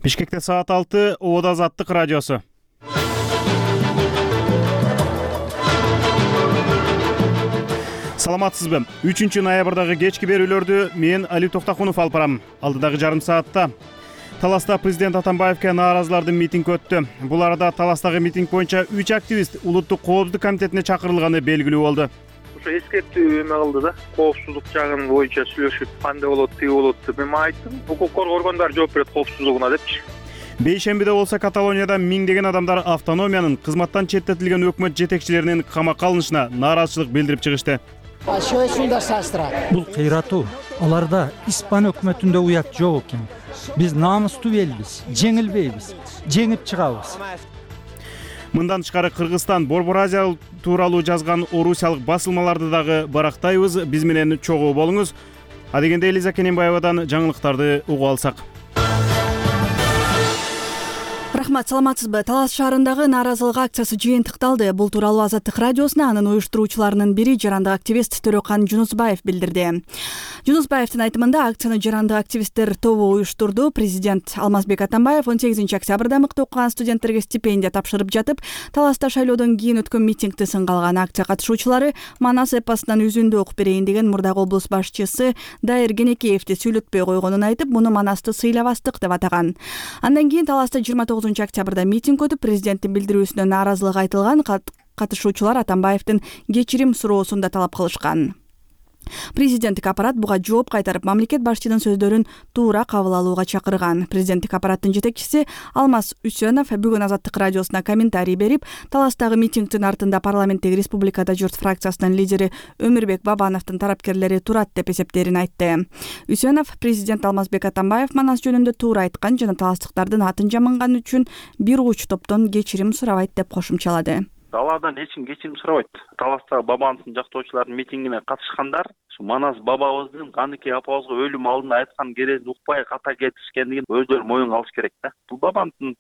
Бишкекте саат 6, Оодо Азаттык радиосу. Саламатсызбы? 3-ноябрдагы кечки берүүлөрдү мен Али Токтакунов алып барам. Алдыдагы жарым саатта Таласта президент Атамбаевке нааразылардын митинги өттү. Бул арада Таластагы митинг боюнча 3 активист Улуттук коопсуздук комитетине чакырылганы белгилүү болду. Эскертүү эме кылды да, коопсуздук жагын боюнча сүйлөшүп, кандай болот, тиги болот деп мен айттым. Укук коргоо органдары жооп берет коопсуздугуна депчи. Бейшембиде болсо Каталонияда миңдеген адамдар автономиянын кызматтан четтетилген өкмөт жетекчилеринин камакка алынышына нааразычылык билдирип чыгышты. Бул кыйратуу. Аларда Испан өкмөтүндө уят жок экен. Биз намыстуу элбиз, жеңилбейбиз, жеңип чыгабыз. Мындан тышкары Кыргызстан Борбор Азия тууралуу жазган орусиялык басылмаларды дагы барактайбыз. Биз менен чогуу болуңуз. Адегенде Элиза Кененбаевадан жаңылыктарды угуп алсак. Рахмат, саламатсызбы? Талас шаарындагы нааразылык акциясы жыйынтыкталды. Бул тууралуу Азаттык радиосуна анын уюштуруучуларынын бири жарандык активист Төрөкан Жунусбаев билдирди. Жунусбаевдин айтымында акцияны жарандык активисттер тобу уюштурду. Президент Алмазбек Атамбаев 18-октябрда мыкты окуган студенттерге стипендия тапшырып жатып, Таласта шайлоодон кийин өткөн митингди сынга алган. Акция катышуучулары Манас эпосунан үзүндү окуп берейин деген мурдагы облус башчысы Дайыр Кенекеевди сүйлөтпөй койгонун айтып, муну Манасты сыйлабастык деп атаган. Андан кийин Таласта 29-октябрда митинг өтүп, президенттин билдирүүсүнө нааразылык айтылган. Катышуучулар Атамбаевдин кечирим суроосун да талап кылышкан. Президенттик аппарат буга жооп кайтарып, мамлекет башчынын сөздөрүн туура кабыл алууга чакырган. Президенттик аппараттын жетекчиси Алмаз Үсөнов бүгүн Азаттык радиосуна комментарий берип, Таластагы митингдин артында парламенттеги Республикада журт фракциясынын лидери Өмүрбек Бабановдун тарапкерлери турат деп эсептээрин айтты. Үсөнов президент Алмазбек Атамбаев Манас жөнүндө туура айткан жана таластыктардын атын жаманган үчүн бир уч топтон кечирим сурабайт деп кошумчалады. Алардан эч ким кечирим сурабайт. Таластагы Бабановдун жактоочуларынын митингине катышкандар Манас бабабыздын Каныке апабызга өлүм алдында айткан керегин укпай ката кетишкендигин өздөрү моюнга алыш керек да. Бул Бабановдун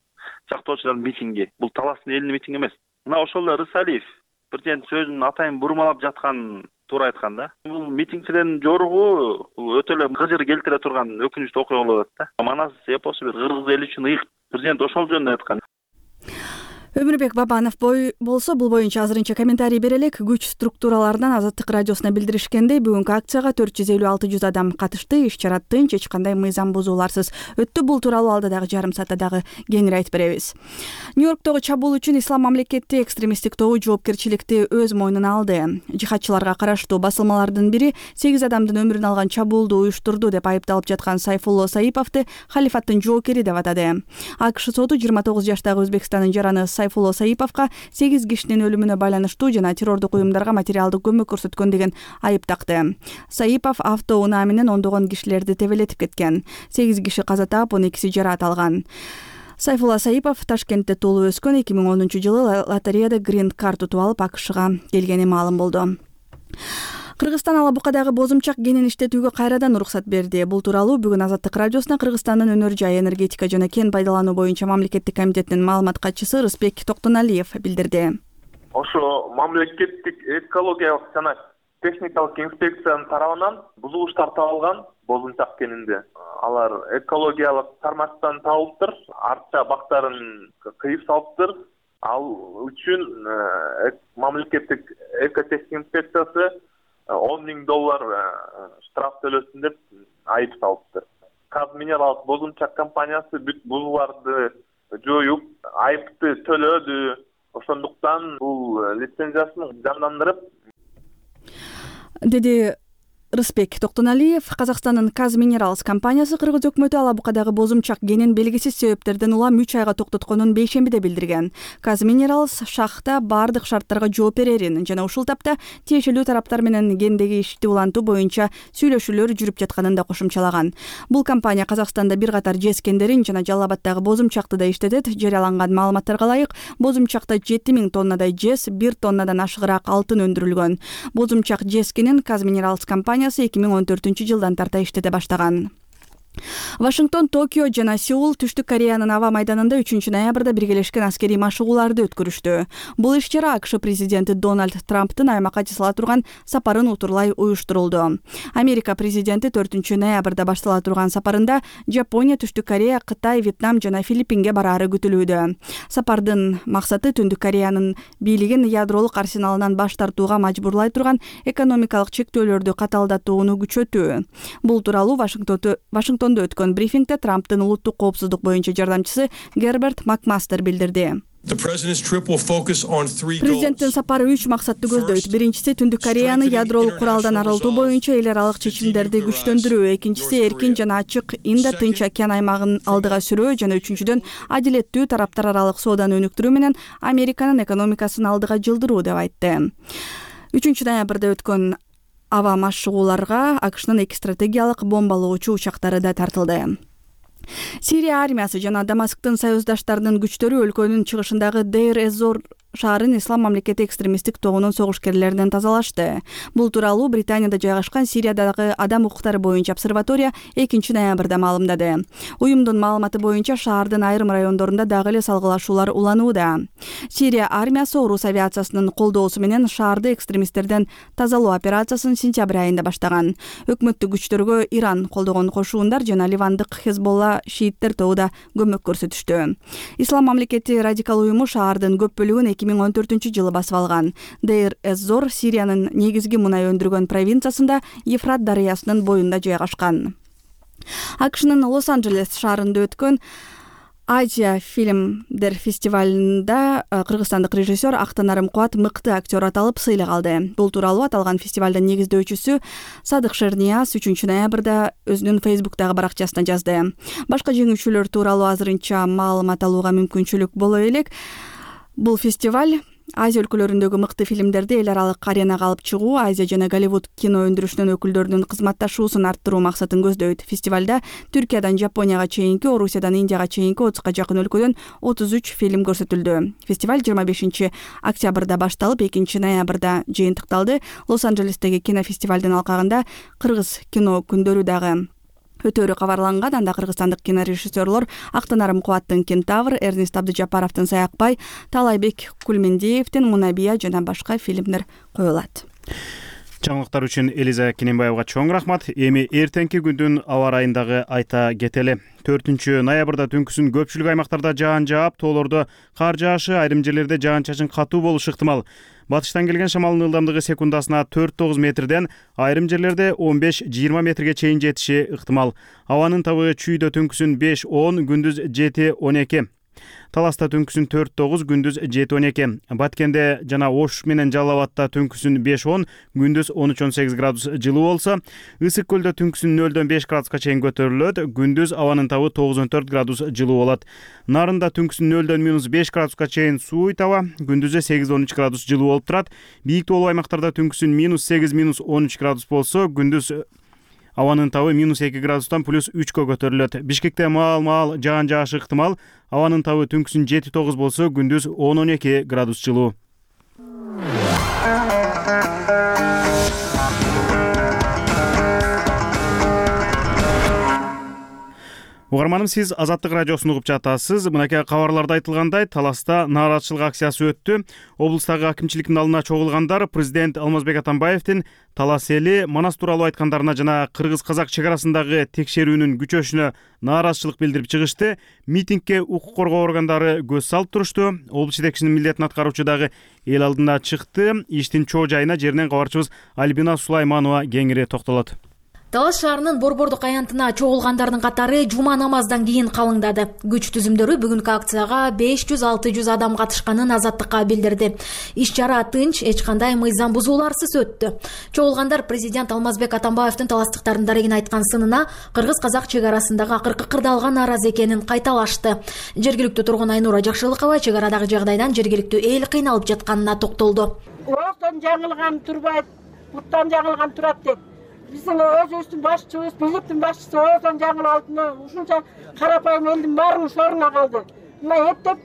жактоочуларынын митинги, бул Таластын элинин митинги эмес. Мына ошол эле Рысалиев президент сөзүн атайын бурмалап жаткан туура айткан да. Бул митингчилердин жоругу өтө эле кыжыр келтире турган өкүнүчтүү окуя болот да. Манас эпосу бир кыргыз эли үчүн ыйык. Президент ошол жөнүндө айткан. Өмүрбек Бабанов болсо бул боюнча азырынча комментарий бере элек. Күч структураларынан Азаттык радиосуна билдиришкендей, бүгүнкү акцияга 450-600 адам катышты. Иш-чара тынч, эч кандай мыйзам бузууларсыз өттү. Бул тууралуу алдыдагы жарым саатта дагы кеңири айтып беребиз. Нью-Йорктогу чабуул үчүн Ислам мамлекети экстремисттик тобу жоопкерчиликти өз мойнуна алды. Жихадчыларга караштуу басылмалардын бири 8 адамдын өмүрүн алган чабуулду уюштурду деп айыпталып жаткан Сайфулло Саиповду халифаттын жоокери деп атады. АКШ соту 29 жаштагы Өзбекстандын жараны Сайфулло Саиповго 8 кишинин өлүмүнө байланыштуу жана террордук уюмдарга материалдык көмөк көрсөткөн деген айып такты. Саипов автоунаа менен ондогон кишилерди тебелетип кеткен. 8 киши каза таап, 12 жараат алган. Сайфулла Саипов Ташкентте туулуп өскөн. 2010 жылы лотереяда грин карт утуп алып АКШга келгени маалым болду. Кыргызстан Алабукадагы бозумчак кенин иштетүүгө кайрадан уруксат берди. Бул тууралуу бүгүн Азаттык радиосуна Кыргызстандын өнөр жай энергетика жана кен пайдалануу боюнча мамлекеттик комитеттин маалымат катчысы Рыспек Токтоналиев билдирди. Ошо мамлекеттик экологиялык жана техникалык инспекциянын тарабынан бузулуштар табылган бозумчак кенинде. Алар экологиялык тармактан табылыптыр, артча бактарын кыйып салыптыр. Ал үчүн мамлекеттик экотехник инспекциясы $10,000 штраф төлөсүн деп айып салыптыр. Казминералдык бозумчак компаниясы бүт бузууларды жоюп, айыпты төлөдү. Ошондуктан бул лицензиясын жандандырып, деди Рыспек Токтоналиев. Казакстандын Казминералс компаниясы Кыргыз өкмөтү Алабукадагы бозумчак кенин белгисиз себептерден улам 3 айга токтотконун бейшембиде билдирген. Казминералс шахта бардык шарттарга жооп берерин жана ушул тапта тиешелүү тараптар менен кендеги ишти улантуу боюнча сүйлөшүүлөр жүрүп жатканын да кошумчалаган. Бул компания Казакстанда бир катар жез кендерин жана Жалал Абаддагы бозумчакты да иштетет. Жарыяланган маалыматтарга ылайык, бозумчакта 7000 тоннадай жез, 1 тоннадан ашыгыраак алтын өндүрүлгөн. Бозумчак жез кенин Казминералс компаниясы 2014 жылдан тарта иштете баштаган. Вашингтон, Токио жана Сеул Түштүк Кореянын аба майданында 3-ноябрда биргелешкен аскерий машыгууларды өткөрүштү. Бул иш-чара АКШ президенти Дональд Трамптын аймакка жасала турган сапарын утурлай уюштурулду. Америка президенти 4-ноябрда баштала турган сапарында Жапония, Түштүк Корея, Кытай, Вьетнам жана Филиппинге бараары күтүлүүдө. Сапардын максаты Түндүк Кореянын бийлигин ядролук арсеналынан баш тартууга мажбурлай турган экономикалык чектөөлөрдү каталдатууну күчөтүү. Бул тууралуу Вашингтондо өткөн брифингде Трамптын улуттук коопсуздук боюнча жардамчысы Герберт Макмастер билдирди. Президенттин сапары 3 максатты көздөйт. Биринчиси Түндүк Кореяны ядролук куралдан арылтуу боюнча эл аралык чечимдерди күчтөндүрүү, экинчиси эркин жана ачык Индо-Тынч океан аймагын алдыга сүрөө жана үчүнчүдөн адилеттүү тараптар аралык сооданы өнүктүрүү менен Американын экономикасын алдыга жылдыруу деп айтты. 3-ноябрда өткөн аба машыгууларга АКШнын 2 стратегиялык бомбалоочу учактары да тартылды. Сирия армиясы жана Дамасктын союздаштарынын күчтөрү өлкөнүн чыгышындагы Дейр-эз-Зор шаарын Ислам мамлекети экстремисттик тобунун согушкерлеринен тазалашты. Бул тууралуу Британияда жайгашкан Сириядагы адам укуктары боюнча обсерватория 2-ноябрда маалымдады. Уюмдун маалыматы боюнча шаардын айрым райондорунда дагы эле салгылашуулар уланууда. Сирия армиясы орус авиациясынын колдоосу менен шаарды экстремисттерден тазалоо операциясын сентябрь айында баштаган. Өкмөттүк күчтөргө Иран колдогон кошуундар жана ливандык Хезболла шииттер тобу да көмөк көрсөтүштү. Ислам мамлекети радикал уюму шаардын көп бөлүгүн 2014-жылы басып алган. Дейр-эз-Зор Сириянын негизги мунай өндүргөн провинциясында Ефрат дарыясынын боюнда жайгашкан. АКШнын Лос-Анджелес шаарында өткөн Азия фильмдер фестивалында кыргызстандык режиссер Актанарым Кубат мыкты актер аталып сыйлык алды. Бул тууралуу аталган фестивалдын негиздөөчүсү Садык Шернияз 3-ноябрда өзүнүн Фейсбуктагы баракчасына жазды. Башка жеңүүчүлөр тууралуу азырынча маалымат алууга мүмкүнчүлүк боло элек. Бул фестиваль Азия өлкөлөрүндөгү мыкты фильмдерди эл аралык аренага алып чыгуу, Азия жана Голливуд кино өндүрүшүнүн өкүлдөрүнүн кызматташуусун арттыруу максатын көздөйт. Фестивалда Түркиядан Жапонияга чейинки, Орусиядан Индияга чейинки 30га жакын өлкөдөн 33 фильм көрсөтүлдү. Фестиваль 25-октябрда башталып, 2-ноябрда жыйынтыкталды. Лос-Анджелестеги кинофестивалдын алкагында кыргыз кино күндөрү дагы өтөрү кабарланган. Анда кыргызстандык кинорежиссерлор Актанарым Кубаттын Кентавр, Эрнест Абдыжапаровдун Саякбай, Талайбек Кулмендиевдин Мунабия жана башка фильмдер коюлат. Жаңылыктар үчүн Элиза Кененбаевга чоң рахмат. Эми эртеңки күндүн аба ырайындагы айта кетели. 4-ноябрда түнкүсүн көпчүлүк аймактарда жаан жаап, тоолордо кар жаашы, айрым жерлерде жаан-чачын катуу болушу ыктымал. Батыштан келген шамалдын ылдамдыгы секундасына 4-9 метрден, айрым жерлерде 15-20 метрге чейин жетиши ыктымал. Абанын табыгы Чүйдө түнкүсүн 5-10, күндүз 7-12. Таласта түнкүсүн 4-9, күндүз 7-12. Баткенде жана Ош менен Жалал Абадта түнкүсүн 5-10, күндүз 13-18 градус жылуу болсо, Ысык көлдө түнкүсүн 0-5 градуска чейин көтөрүлөт, күндүз абанын табы 9-4 градус жылуу болот. Нарында түнкүсүн 0-5 градуска чейин сууй таба, күндүзү 8-13 градус жылуу болуп турат. Бийик тоолуу аймактарда түнкүсүн -8-13 градус болсо, күндүз абанын табы -2 градустан +3кө көтөрүлөт. Бишкекте маал жаан жаашы ыктымал. Абанын табы түнкүсүн 7-9 болсо, күндүз 10-12 градус жылуу. Угарманым, сиз Азаттык радиосун угуп жатасыз. Мынакей кабарларда айтылгандай, Таласта нааразычылык акциясы өттү. Облустагы акимчиликтин алдына чогулгандар президент Алмазбек Атамбаевдин Талас эли Манас тууралуу айткандарына жана кыргыз-казак чек арасындагы текшерүүнүн күчөшүнө нааразычылык билдирип чыгышты. Митингге укук коргоо органдары көз салып турушту. Облус жетекчисинин милдетин аткаруучу дагы эл алдына чыкты. Иштин чоо жайына жеринен кабарчыбыз Альбина Сулайманова кеңири токтолот. Талас шаарынын Борбордук аянтына чогулгандардын катары жума намаздан кийин калыңдады. Күч түзүмдөрү бүгүнкү акцияга 500-600 адам катышканын Азаттыкка билдирди. Иш-чара тынч, эч кандай мыйзам бузууларсыз өттү. Чогулгандар президент Алмазбек Атамбаевдин таластыктардын дарегин айткан сынына кыргыз-казак чек арасындагы акыркы кырдаалга нааразы экенин кайталашты. Жергиликтүү тургун Айнура Жакшылыкова чек арадагы жагдайдан жергиликтүү эл кыйналып жатканына токтолду. Оостон жаңылган турбайт, буттан жаңылган турат деп. Биздин өзүбүздүн башчыбыз, бийликтин башчысы оозон жаңылып алдыны ушунча карапайым элдин баары шоруна калды. Мына эптеп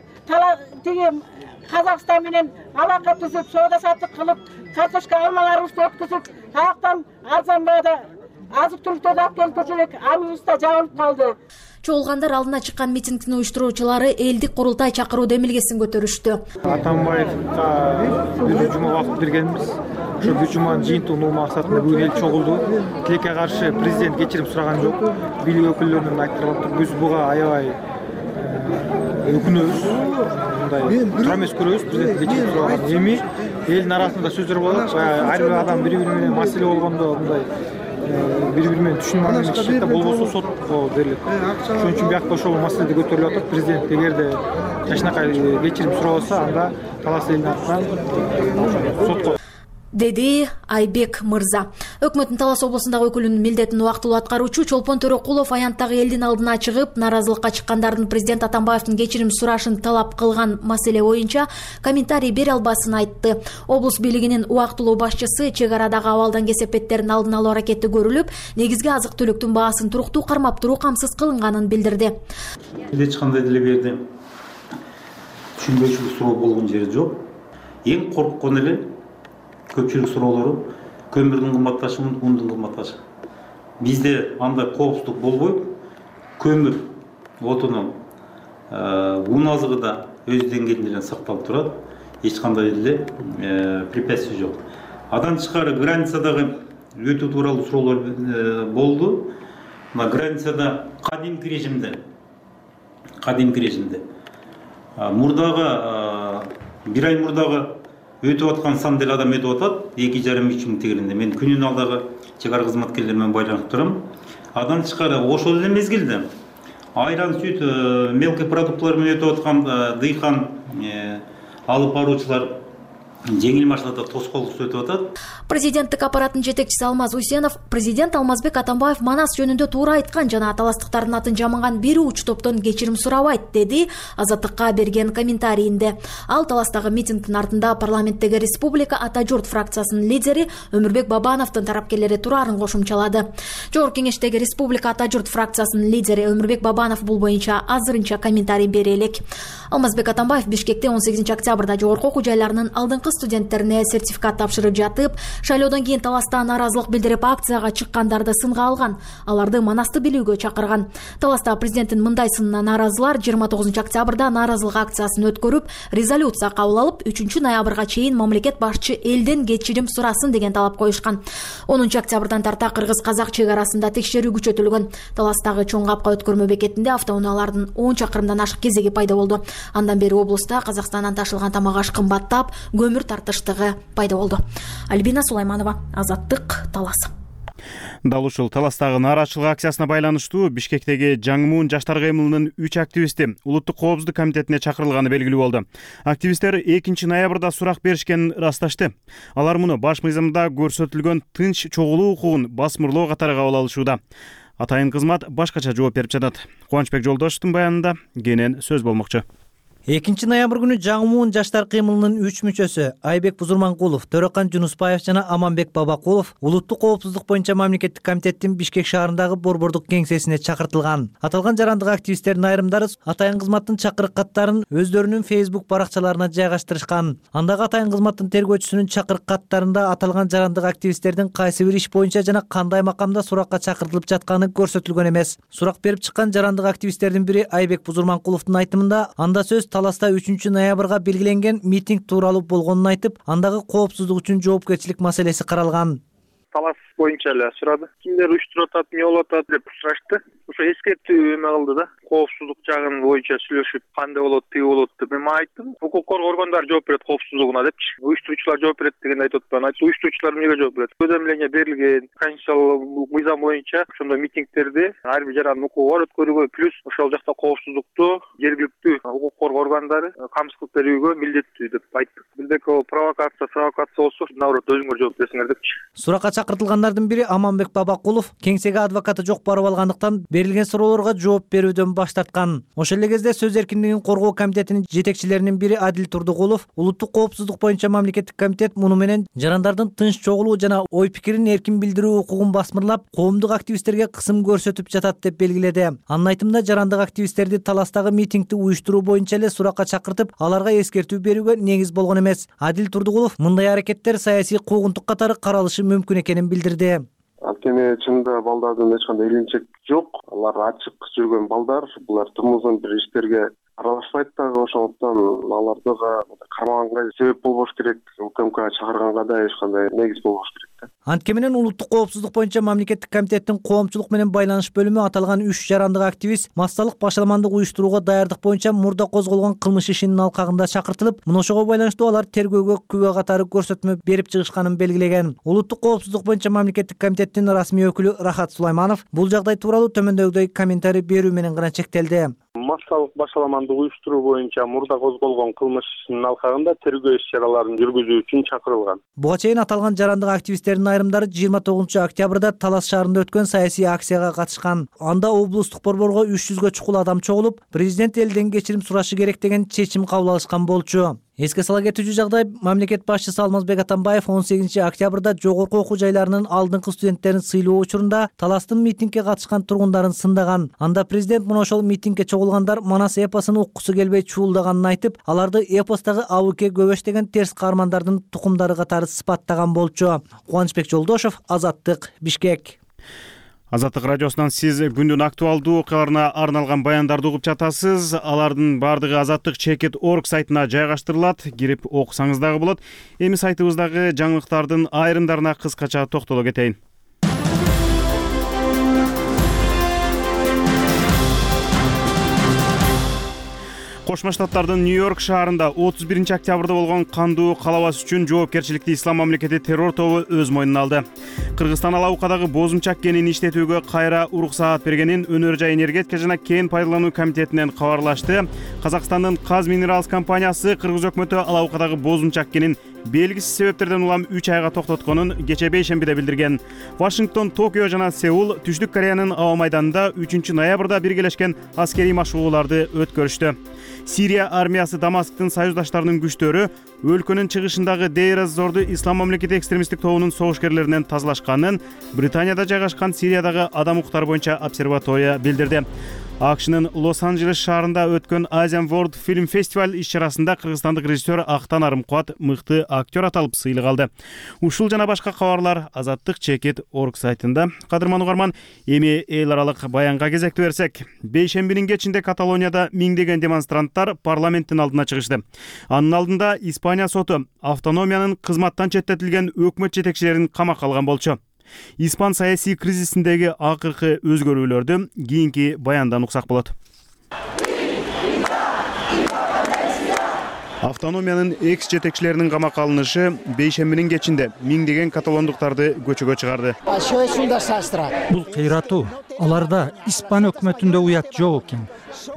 тиги Казакстан менен алака түзүп, соода саттык кылып, картошка алмаларыбызды өткүзүп, таяктан арзан баада азык түлүктөрдү алып келип көрсөк, аныбыз да жабылып калды. Чогулгандар алдына чыккан митингдин уюштуруучулары элдик курултай чакыруу демилгесин көтөрүштү. Атамбаевга бир жума убакыт бергенбиз. Ошо бир жуманын жыйынтыгынын максатында бүгүн эл чогулду. Тилекке каршы президент кечирим сураган жок. Бийлик өкүлдөрүнөн айтылып, биз буга аябай өкүнөбүз. Мындай туура эмес көрөбүз. Президент кечирим сураган. Эми элдин арасында сөздөр болот. Ар бир адам бири-бири менен маселе болгондо мындай бири-бири менен түшүнбөөнүн болбосо сотко берилет. Ошон үчүн биякта ошол маселеде көтөрүлүп атат. Президент эгерде жакшынакай кечирим сурабаса, анда талас элдин атынан сотко, деди Айбек мырза. Өкмөттүн Талас облусундагы өкүлүнүн милдетин убактылуу аткаруучу Чолпон Төрөкулов аянттагы элдин алдына чыгып, наразылыкка чыккандардын президент Атамбаевдин кечирим сурашын талап кылган маселе боюнча комментарий бере албасын айтты. Облус бийлигинин убактылуу башчысы чек арадагы абалдан кесепеттерин алдын алуу аракети көрүлүп, негизги азык түлүктүн баасын туруктуу кармап туруу камсыз кылынганын билдирди. Эч кандай деле берди түшүнбөчүлүк суроо болгон жери жок. Эң корккон эле көпчүлүк суроолору көмүрдүн кымбатташы, ундун кымбатташы. Бизде андай коопсуздук болбойт. Көмүр отунун ун азыгы да өз деңгээлинде сакталып турат. Эч кандай деле препятствий жок. Андан тышкары границадагы өтүү тууралуу суроолор болду. Мына границада кадимки режимде мурдагы бир ай мурдагы өтүп аткан сан деле адам өтүп атат, 2,5-3 миң тегеринде. Мен күнүнө алдагы чек ара кызматкерлер менен байланып турам. Андан тышкары ошол эле мезгилде айран, сүт, мелкий продуктлар менен өтүп аткан дыйкан алып баруучулар жеңил машинада тоскоолдук өтүп атат. Президенттик аппараттын жетекчиси Алмаз Усенов президент Алмазбек Атамбаев Манас жөнүндө туура айткан жана таластыктардын атын жаманган бир уч топтон кечирим сурабайт, деди Азаттыкка берген комментарийинде. Ал таластагы митингдин артында парламенттеги Республика Ата журт фракциясынын лидери Өмүрбек Бабановдун тарапкерлери турарын кошумчалады. Жогорку кеңештеги Республика Ата журт фракциясынын лидери Өмүрбек Бабанов бул боюнча азырынча комментарий бере элек. Алмазбек Атамбаев Бишкекте 18 октябрда жогорку окуу жайларынын алдыңкы студенттерине сертификат тапшырып жатып, шайлоодон кийин таласта нааразылык билдирип акцияга чыккандарды сынга алган, аларды Манасты билүүгө чакырган. Таласта президенттин мындай сынына нааразылар 29 октябрда нааразылык акциясын өткөрүп, резолюция кабыл алып, 3 ноябрга чейин мамлекет башчы элден кечирим сурасын деген талап коюшкан. 10 октябрдан тарта кыргыз-казак чек арасында текшерүү күчөтүлгөн. Таластагы чоң капка өткөрмө бекетинде автоунаалардын 10 чакырымдан ашык кезеги пайда болду. Андан бери облуста Казакстандан ташылган тамак аш кымбаттап, көмүр тартыштыгы пайда болду. Альбина Сулайманова, Азаттык, Талас. Дал ушул Таластагы нааразычылык акциясына байланыштуу Бишкектеги Жаңымун жаштар кыймылынын 3 активисти Улуттук коопсуздук комитетине чакырылганы белгилүү болду. Активисттер 2 ноябрда сурак беришкенин ырасташты. Алар муну баш мыйзамда көрсөтүлгөн тынч чогулуу укугун басмырлоо катары кабыл алышууда. Атайын кызмат башкача жооп берип жатат. Кубанычбек Жолдошовдун баянында кенен сөз болмокчу. 2 ноябрь күнү Жаңымун жаштар кыймылынын 3 мүчөсү Айбек Бузурманкулов, Төрөкан Жунусбаев жана Аманбек Бабакулов улуттук коопсуздук боюнча мамлекеттик комитеттин Бишкек шаарындагы борбордук кеңсесине чакыртылган. Аталган жарандык активисттердин айрымдары атайын кызматтын чакырык каттарын өздөрүнүн Facebook баракчаларына жайгаштырышкан. Андагы атайын кызматтын тергөөчүсүнүн чакырык каттарында аталган жарандык активисттердин кайсы бир иш боюнча жана кандай макамда суракка чакыртылып жатканы көрсөтүлгөн эмес. Сурак берип чыккан жарандык активисттердин бири Айбек Бузурманкуловдун айтымында анда сөз Таласта 3 ноябрга белгиленген митинг тууралуу болгонун айтып, андагы коопсуздук үчүн жоопкерчилик маселеси каралган. Талас боюнча эле сурады. Кимдер уюштуруп атат, эмне болуп атат деп сурашты. Ошо эскертүү эме кылды да. Коопсуздук жагын боюнча сүйлөшүп, кандай болот, тиги болот деп мен айттым. Укук коргоо органдары жооп берет коопсуздугуна депчи. Уюштуруучулар жооп берет дегенди айтып атпаймын. Айтты, уюштуруучулар эмнеге жооп берет? Уведомление берилген, конституциялык мыйзам боюнча ошондой митингтерди ар бир жарандын укугу бар өткөрүүгө, плюс ошол жакта коопсуздукту жергиликтүү укук коргоо органдары камсыз кылып берүүгө милдеттүү деп айттык. Бирдеки провокация болсо, наоборот өзүңөр жооп берсиңер депчи. Суракка чакыртылгандардын бири Аманбек Бабакулов кеңсеге адвокаты жок барып алгандыктан берилген суроолорго жооп берүүдөн баш тарткан. Ошол эле кезде сөз эркиндигин коргоо комитетинин жетекчилеринин бири Адил Турдугулов улуттук коопсуздук боюнча мамлекеттик комитет муну менен жарандардын тынч чогулуу жана ой пикирин эркин билдирүү укугун басмырлап, коомдук активисттерге кысым көрсөтүп жатат деп белгиледи. Анын айтымында жарандык активисттерди Таластагы митингди уюштуруу боюнча эле суракка чакыртып, аларга эскертүү берүүгө негиз болгон эмес. Адил Турдугулов мындай аракеттер саясий куугунтук катары каралышы мүмкүн экенин билдирди. Анткени чынында балдардын эч кандай илинчек жок. Алар ачык жүргөн балдар. Булар турмузун бир иштерге аралашпайт дагы, ошондуктан аларды кармаганга себеп болбош керек. УКМК чакырганга да эч кандай негиз болбош керек да. Антке менен улуттук коопсуздук боюнча мамлекеттик комитеттин коомчулук менен байланыш бөлүмү аталган 3 жарандык активист массалык башаламандык уюштурууга даярдык боюнча мурда козголгон кылмыш ишинин алкагында чакыртылып, мына ошого байланыштуу алар тергөөгө күбө катары көрсөтмө берип чыгышканын белгилеген. Улуттук коопсуздук боюнча мамлекеттик комитеттин расмий өкүлү Рахат Сулайманов бул жагдай тууралуу төмөндөгүдөй комментарий берүү менен гана чектелди. Массалык башаламандык уюштуруу боюнча мурда козголгон кылмыш ишинин алкагында тергөө иш-чараларын жүргүзүү үчүн чакырылган. Буга чейин аталган жарандык активисттердин айрымдары 29-октябрда Талас шаарында өткөн саясий акцияга катышкан. Анда облустук борборго 300гө чукул адам чогулуп, президент элден кечирим сурашы керек деген чечим кабыл алышкан болчу. Эске сала кетүүчү жагдай, мамлекет башчысы Алмазбек Атамбаев 18-октябрда жогорку окуу жайларынын алдыңкы студенттерин сыйлоо учурунда Таластын митингге катышкан тургундарын сындаган. Анда президент мына ошол митингге чогулгандар Манас эпосун уккусу келбей чуулдаганын айтып, аларды эпостагы абыке көбөш деген терс каармандардын тукумдары катары сыпаттаган болчу. Кубанычбек Жолдошов, Азаттык, Бишкек. Азаттык радиосунан сиз күндүн актуалдуу окуяларына арналган баяндарды угуп жатасыз. Алардын баардыгы azattik.org сайтына жайгаштырылат. Кирип окусаңыз дагы болот. Эми сайтыбыздагы жаңылыктардын айрымдарына кыскача токтоло кетейин. Кошмо Штаттардын Нью-Йорк шаарында 31-октябрда болгон кандуу калабас үчүн жоопкерчиликти Ислам мамлекети террор тобу өз мойнуна алды. Кыргызстан алабукадагы бозумчак кенин иштетүүгө кайра уруксаат бергенин Өнөр жай энергетика жана кен пайдалануу комитетинен кабарлашты. Казакстандын Казминералс компаниясы Кыргыз өкмөтү алабукадагы бозумчак кенин белгисиз себептерден улам 3 айга токтотконун кече бейшембиде билдирген. Вашингтон, Токио жана Сеул Түштүк Кореянын аба майданында 3-ноябрда биргелешкен аскерий машыгууларды өткөрүштү. Сирия армиясы Дамасктын союздаштарынын күчтөрү өлкөнүн чыгышындагы Дейр эз-Зорду Ислам мамлекети экстремисттик тобунун согушкерлеринен тазалашканын Британияда жайгашкан Сириядагы адам укуктары боюнча обсерватория билдирди. АКШнын Лос-Анджелес шаарында өткөн Asian World Film Festival иш-чарасында кыргызстандык режиссер Актан Арымкубат мыкты актер аталып сыйлык алды. Ушул жана башка кабарлар azattik.org сайтында. Кадырман угарман, эми эл аралык баянга кезекти берсек. Бейшембинин кечинде Каталонияда миңдеген демонстранттар парламенттин алдына чыгышты. Анын алдында Испания соту автономиянын кызматтан четтетилген өкмөт жетекчилерин камакка алган болчу. Испан саясий кризисиндеги акыркы өзгөрүүлөрдү кийинки баяндан уксак болот. Автономиянын экс жетекчилеринин камакка алынышы бейшембинин кечинде миңдеген каталондуктарды көчөгө чыгарды. Бул кыйратуу. Аларда Испан өкмөтүндө уят жок экен.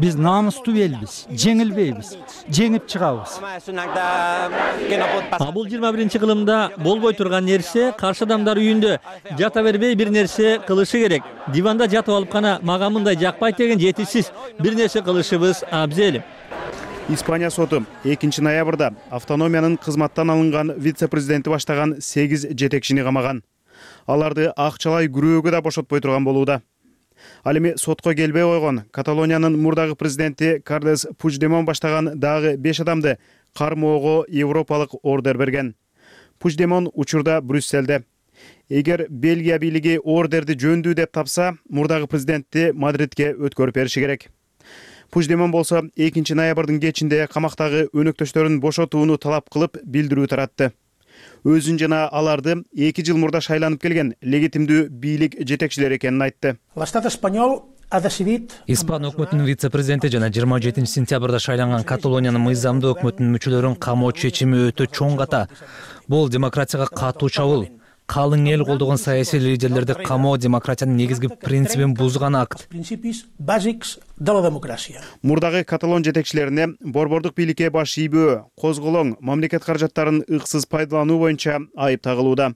Биз намыстуу элбиз, жеңилбейбиз, жеңип чыгабыз. Бул 21-чи кылымда болбой турган нерсе каршы адамдар үйүндө жата бербей бир нерсе кылышы керек. Диванда жатып алып гана мага мындай жакпайт деген жетишсиз бир нерсе кылышыбыз абзел. Испания соту 2-ноябрда автономиянын кызматтан алынган вице-президенти баштаган 8 жетекчини камаган. Аларды акчалай күрөөгө да бошотпой турган болууда. Ал эми сотко келбей койгон Каталониянын мурдагы президенти Карлес Пучдемон баштаган дагы 5 адамды кармоого европалык ордер берген. Пучдемон учурда Брюсселде. Эгер Бельгия бийлиги ордерди жөндүү деп тапса, мурдагы президентти Мадридке өткөрүп бериши керек. Пучдемон болсо 2-ноябрдын кечинде камактагы өнөктөштөрүн бошотууну талап кылып билдирүү таратты. Өзүн жана аларды 2 жыл мурда шайланып келген легитимдүү бийлик жетекчилери экенин айтты. Испан өкмөтүнүн вице-президенти жана 27-сентябрда шайланган Каталониянын мыйзамдуу өкмөтүнүн мүчөлөрүн камоо чечими өтө чоң ката. Бул демократияга катуу чабуул. Калың эл колдогон саясий лидерлерди камоо демократиянын негизги принцибин бузган акт. Мурдагы каталон жетекчилерине борбордук бийликке баш ийбөө, козголоң, мамлекет каражаттарын ыксыз пайдалануу боюнча айып тагылууда.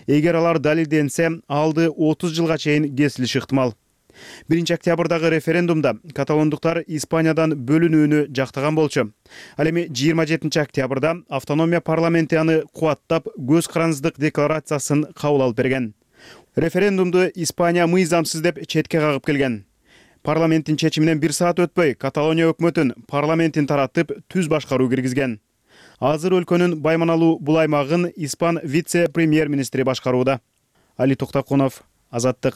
Эгер алар далилденсе, алды 30 жылга чейин кесилиши ыктымал. 1-октябрдагы референдумда каталондуктар Испаниядан бөлүнүүнү жактаган болчу. Ал эми 27-октябрда автономия парламенти аны кубаттап көз карандыздык декларациясын кабыл алып берген. Референдумду Испания мыйзамсыз деп четке кагып келген. Парламенттин чечиминен 1 саат өтпөй Каталония өкмөтүн парламентин таратып түз башкаруу киргизген. Азыр өлкөнүн байманалуу бул аймагын Испан вице-премьер-министри башкарууда. Али Токтакунов, Азаттык.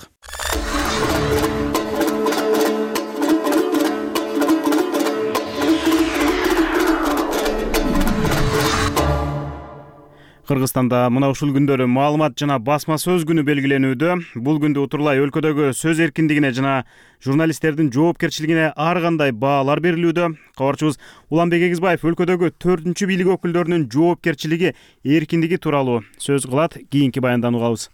Кыргызстанда мына ушул күндөрү маалымат жана басма сөз күнү белгиленүүдө. Бул күндү утурлай өлкөдөгү сөз эркиндигине жана журналисттердин жоопкерчилигине ар кандай баалар берилүүдө. Кабарчыбыз Уланбек Эгизбаев өлкөдөгү 4-чү бийлик өкүлдөрүнүн жоопкерчилиги, эркиндиги тууралуу сөз кылат. Кийинки баяндан угабыз.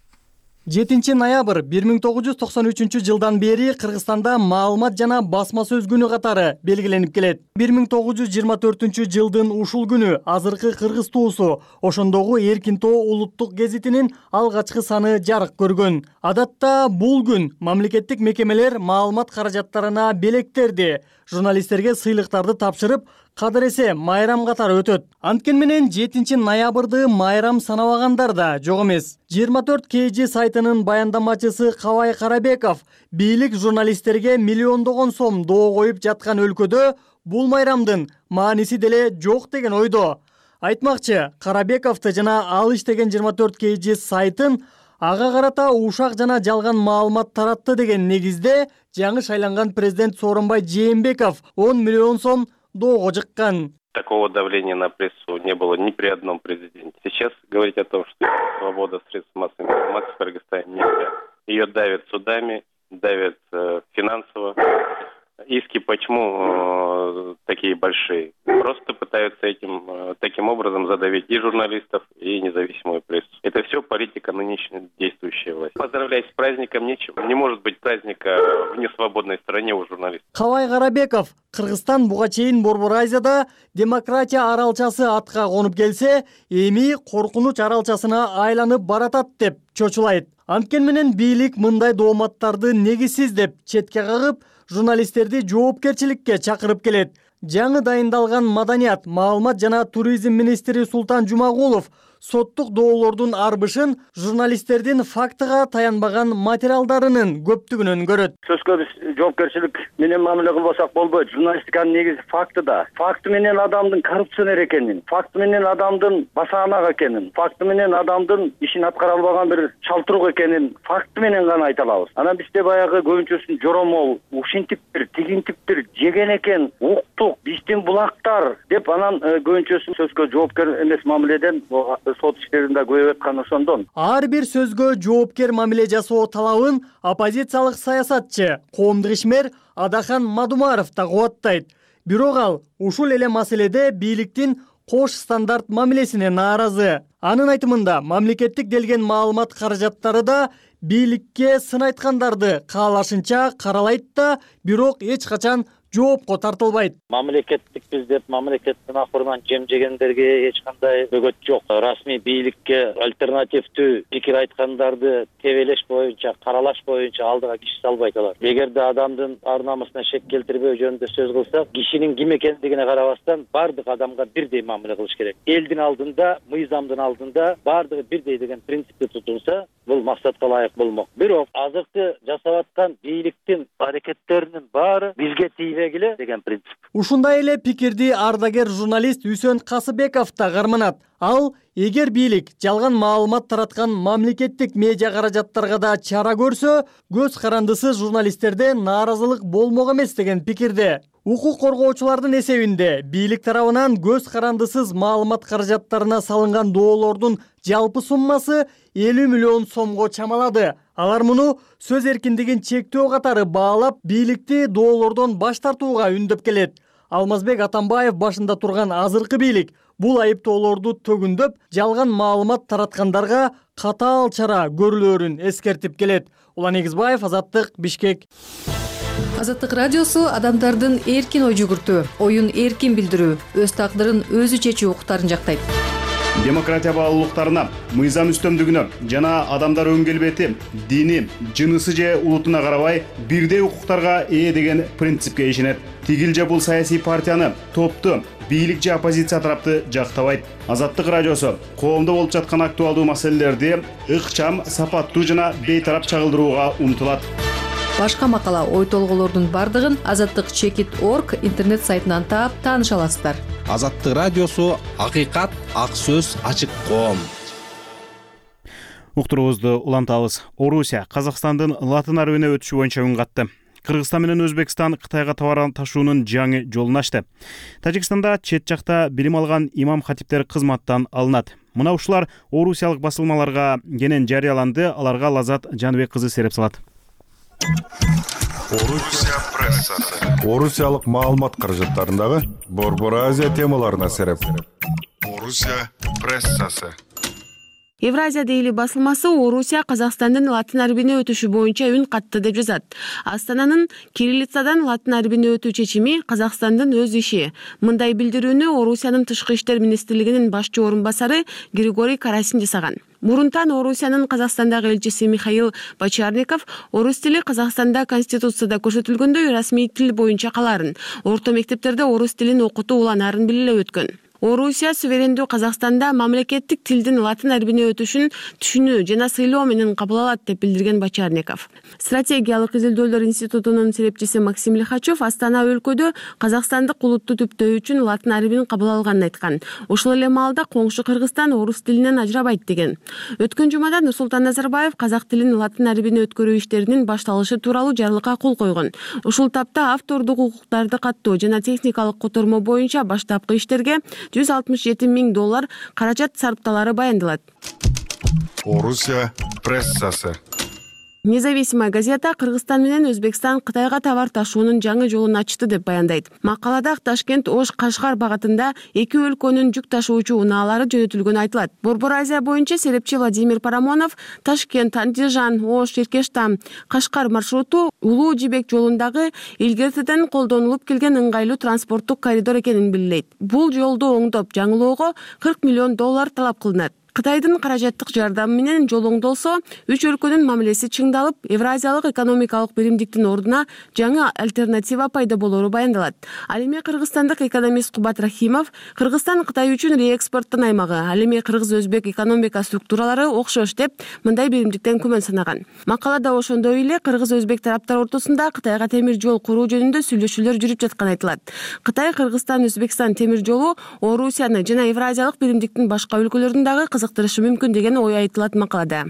7 ноябрь 1993 жылдан бери Кыргызстанда маалымат жана басма сөз күнү катары белгиленип келет. 1924 жылдын ушул күнү азыркы Кыргыз туусу ошондогу Эркин тоо улуттук гезитинин алгачкы саны жарык көргөн. Адатта бул күн мамлекеттик мекемелер маалымат каражаттарына белектерди, журналисттерге сыйлыктарды тапшырып, кадыр эсе майрам катары өтөт. Анткени менен 7 ноябрды майрам санабагандар да жок эмес. 24 KG сайтынын баяндамачысы Кабай Карабеков бийлик журналисттерге миллиондогон сом доо коюп жаткан өлкөдө бул майрамдын мааниси деле жок деген ойдо. Айтмакчы, Карабековду жана ал иштеген 24 KG сайтын ага карата ушак жана жалган маалымат таратты деген негизде жаңы шайланган президент Сооронбай Жээнбеков 10 миллион сом доого жыккан. Такого давления на прессу не было ни при одном президенте. Сейчас говорить о том, что свобода средств массовой информации в Кыргызстане нельзя. Ее давят судами, давят финансово. Иски почему такие большие? Просто пытаются таким образом задавить и журналистов, и независимую прессу. Это все политика нынешней действующей власти. Поздравлять с праздником нечего. Не может быть праздника в несвободной стране у журналистов. Кабай Карабеков, Кыргызстан буга чейин Борбор Азияда демократия аралчасы атка конуп келсе, эми коркунуч аралчасына айланып баратат деп чочулайт. Анткени менен бийлик мындай дооматтарды негизсиз деп четке кагып, журналисттерди жоопкерчиликке чакырып келет. Жаңы дайындалган маданият, маалымат жана туризм министри Султан Жумагулов соттук доолордун арбышын журналисттердин фактыга таянбаган материалдарынын көптүгүнөн көрөт. Сөзгө биз жоопкерчилик менен мамиле кылбасак болбойт. Журналистиканын негизи фактыда. Факты менен адамдын коррупционер экенин, факты менен адамдын басаанак экенин, факты менен адамдын ишин аткара албаган бир чалтырук экенин факты менен гана айта алабыз. Анан бизде баягы көбүнчөсүн жоромол, ушинтиптир, тигинтиптир, жеген экен, уктук, биздин булактар деп анан көбүнчөсүн сөзгө жоопкер эмес мамиледен сот иштеринде көбөйүп аткан ошондон. Ар бир сөзгө жоопкер мамиле жасоо талабын оппозициялык саясатчы, коомдук ишмер Адахан Мадумаров да кубаттайт. Бирок ал ушул эле маселеде бийликтин кош стандарт мамилесине нааразы. Анын айтымында мамлекеттик делген маалымат каражаттары да бийликке сын айткандарды каалашынча каралайт да, бирок эч качан жоопко тартылбайт. Мамлекеттикпиз деп мамлекеттин акырынан жем жегендерге эч кандай бөгөт жок. Расмий бийликке альтернативдүү пикир айткандарды тебелеш боюнча, каралаш боюнча алдыга киши салбайт алар. Эгерде адамдын ар намысына шек келтирбөө жөнүндө сөз кылсак, кишинин ким экендигине карабастан бардык адамга бирдей мамиле кылыш керек. Элдин алдында, мыйзамдын алдында бардыгы бирдей деген принципти тутулса, бул максатка ылайык болмок. Бирок азыркы жасап аткан бийликтин аракеттеринин баары бизге тийбегиле деген принцип. Ушундай эле пикирди ардагер журналист Үсөн Касыбеков да карманат. Ал эгер бийлик жалган маалымат тараткан мамлекеттик медиа каражаттарга да чара көрсө, көз карандысыз журналисттерде нааразылык болмок эмес деген пикирде. Укук коргоочулардын эсебинде бийлик тарабынан көз карандысыз маалымат каражаттарына салынган доолордун жалпы суммасы 50 миллион сомго чамалады. Алар муну сөз эркиндигин чектөө катары баалап, бийликти доолордон баш тартууга үндөп келет. Алмазбек Атамбаев башында турган азыркы бийлик бул айыптоолорду төгүндөп, жалган маалымат тараткандарга катаал чара көрүлөрүн эскертип келет. Улан Эгизбаев, Азаттык, Бишкек. Азаттык радиосу адамдардын эркин ой жүгүртүү, оюн эркин билдирүү, өз тагдырын өзү чечүү укуктарын жактайт. Демократия баалуулуктарына, мыйзам үстөмдүгүнө жана адамдар өн келбети, дини, жынысы же улутуна карабай бирдей укуктарга ээ деген принципке ишенет. Тигил же бул саясий партияны, топту, бийлик же оппозиция тарапты жактабайт. Азаттык радиосу коомдо болуп жаткан актуалдуу маселелерди ыкчам, сапаттуу жана бейтарап чагылдырууга умтулат. Башка макала, ой толголордун бардыгын azattik.org интернет сайтынан таап тааныша аласыздар. Азаттык радиосу акыйкат, ак сөз, ачык коом. Уктуруубузду улантабыз. Орусия Казакстандын Латын арбине өтүшү боюнча үн катты. Кыргызстан менен Өзбекстан Кытайга товар ташуунун жаңы жолун ачты. Тажикстанда чет жакта билим алган имам хатиптер кызматтан алынат. Мына ушулар орусиялык басылмаларга кенен жарыяланды. Аларга Лазат Жаныбек кызы сереп салат. Орусия прессасы. Орусиялык маалымат каражаттарындагы Борбор Азия темаларына сереп. Орусия прессасы. Евразия дейли басылмасы Орусия Казакстандын латын арбине өтүшү боюнча үн катты деп жазат. Астананын кириллицадан латын арбине өтүү чечими Казакстандын өз иши. Мындай билдирүүнү Орусиянын тышкы иштер министрлигинин башчы орун басары Григорий Карасин жасаган. Мурунтан Орусиянын Казакстандагы элчиси Михаил Бочарников орус тили Казакстанда конституцияда көрсөтүлгөндөй расмий тил боюнча каларын, орто мектептерде орус тилин окутуу уланаарын биле өткөн. Орусия суверендүү Казакстанда мамлекеттик тилдин латын арбине өтүшүн түшүнүү жана сыйлоо менен кабыл алат деп билдирген Бочарников. Стратегиялык изилдөөлөр институтунун серепчиси Максим Лихачев Астана өлкөдө казакстандык улутту түптөө үчүн латын арбин кабыл алганын айткан. Ошол эле маалда коңшу Кыргызстан орус тилинен ажырабайт деген. Өткөн жумада Нурсултан Назарбаев казак тилин латын арбине өткөрүү иштеринин башталышы тууралуу жарлыкка кол койгон. Ушул тапта автордук укуктарды каттоо жана техникалык котормо боюнча баштапкы иштерге $167 000 каражат сарпталары баяндалат. Орусия прессасы. Независимая газета Кыргызстан менен Өзбекстан Кытайга товар ташуунун жаңы жолун ачты деп баяндайт. Макалада Ташкент Ош Кашкар багытында эки өлкөнүн жүк ташуучу унаалары жөнөтүлгөнү айтылат. Борбор Азия боюнча серепчи Владимир Парамонов Ташкент, Андижан, Ош, Иркештам, Кашкар маршруту Улуу Жибек жолундагы илгертеден колдонулуп келген ыңгайлуу транспорттук коридор экенин белгилейт. Бул жолду оңдоп жаңылоого $40 million талап кылынат. Кытайдын каражаттык жардамы менен жол оңдолсо, үч өлкөнүн мамилеси чыңдалып, Евразиялык экономикалык биримдиктин ордуна жаңы альтернатива пайда болору баяндалат. Ал эми кыргызстандык экономист Кубат Рахимов Кыргызстан Кытай үчүн реэкспорттун аймагы, ал эми кыргыз-өзбек экономика структуралары окшош деп мындай биримдиктен күмөн санаган. Макалада ошондой эле кыргыз-өзбек тараптар ортосунда Кытайга темир жол куруу жөнүндө сүйлөшүүлөр жүрүп жатканы айтылат. Кытай Кыргызстан-Өзбекстан темир жолу Орусияны жана Евразиялык биримдиктин башка өлкөлөрүн дагы кызыктырышы мүмкүн деген ой айтылат макалада.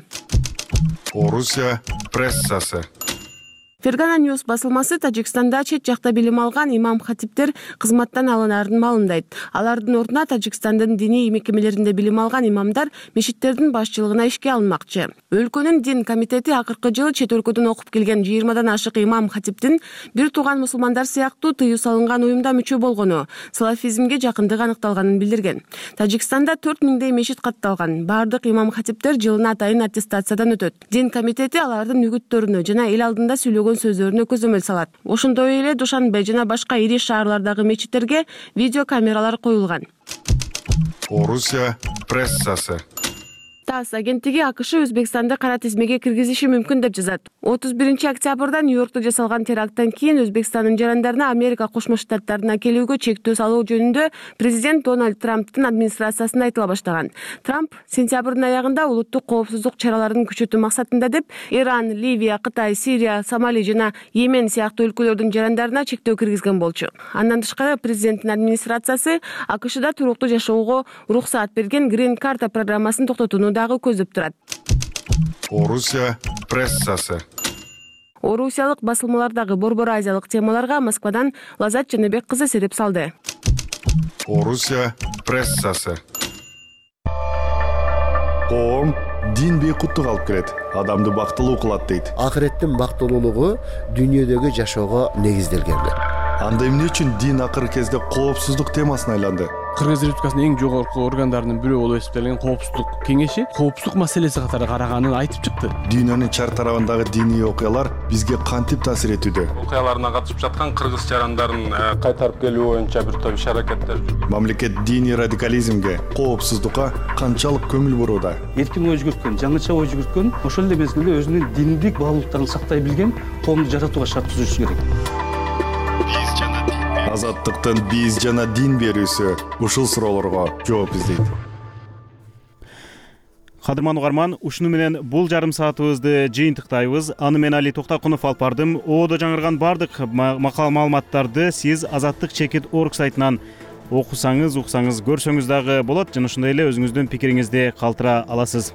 Орусия прессасы. Фергана Ньюс басылмасы Тажикстанда чет жакта билим алган имам хатиптер кызматтан алынарын маалымдайт. Алардын ордуна Тажикстандын диний мекемелеринде билим алган имамдар мешиттердин башчылыгына ишке алынмакчы. Өлкөнүн дин комитети акыркы жылы чет өлкөдөн окуп келген 20дан ашык имам хатиптин бир тууган мусулмандар сыяктуу тыюу салынган уюмда мүчө болгону, салафизмге жакындыгы аныкталганын билдирген. Тажикстанда 4000 мешит катталган. Бардык имам хатиптер жылына атайын аттестациядан өтөт. Дин комитети алардын үгүттөрүнө жана эл алдында сүйлөгөн сөздөрүнө көзөмөл салат. Ошондой эле Душанбе жана башка ири шаарлардагы мечиттерге видео камералар коюлган. Орусия прессасы. ТАСС агенттиги АКШ Өзбекстанды кара тизмеге киргизиши мүмкүн деп жазат. 31 октябрда Нью-Йоркто жасалган теракттан кийин Өзбекстандын жарандарына Америка Кошмо Штаттарына келүүгө чектөө салуу жөнүндө президент Дональд Трамптын администрациясында айтыла баштаган. Трамп сентябрдын аягында улуттук коопсуздук чараларын күчөтүү максатында деп Иран, Ливия, Кытай, Сирия, Сомали жана Йемен сыяктуу өлкөлөрдүн жарандарына чектөө киргизген болчу. Андан тышкары президенттин администрациясы АКШда туруктуу жашоого уруксаат берген Green Card программасын токтотууну дагы көздөп турат. Орусия прессасы. Орусиялык басылмалардагы борбор азиялык темаларга Москвадан Лазат Жаныбек кызы сереп салды. Орусия прессасы. Коом дин бейкуттук алып келет, адамды бактылуу кылат дейт. Акыреттин бактылуулугу дүйнөдөгү жашоого негизделген. Анда эмне үчүн дин акыркы кезде коопсуздук темасына айланды? Кыргыз Республикасынын эң жогорку органдарынын бирөө болуп эсептелген коопсуздук кеңеши коопсуздук маселеси катары караганын айтып чыкты. Дүйнөнүн чар тарабындагы диний окуялар бизге кантип таасир этүүдө? Окуяларына катышып жаткан кыргыз жарандарын кайтарып келүү боюнча бир топ иш-аракеттер. Мамлекет диний радикализмге, коопсуздукка канчалык көңүл бурууда? Эркин ой жүгүрткөн, жаңыча ой жүгүрткөн, ошол эле мезгилде өзүнүн диндик баалуулуктарын сактай билген коомду жаратууга шарт түзүшү керек. Азаттыктын биз жана дин берүүсү ушул суроолорго жооп издейт. Кадырман угарман, ушуну менен бул жарым саатыбызды жыйынтыктайбыз. Аны мен Али Токтакунов алып бардым. Оодо жаңырган бардык макал маалыматтарды сиз azattik.org сайтынан окусаңыз, уксаңыз, көрсөңүз дагы болот. Жана ошондой эле өзүңүздүн пикириңизди калтыра аласыз.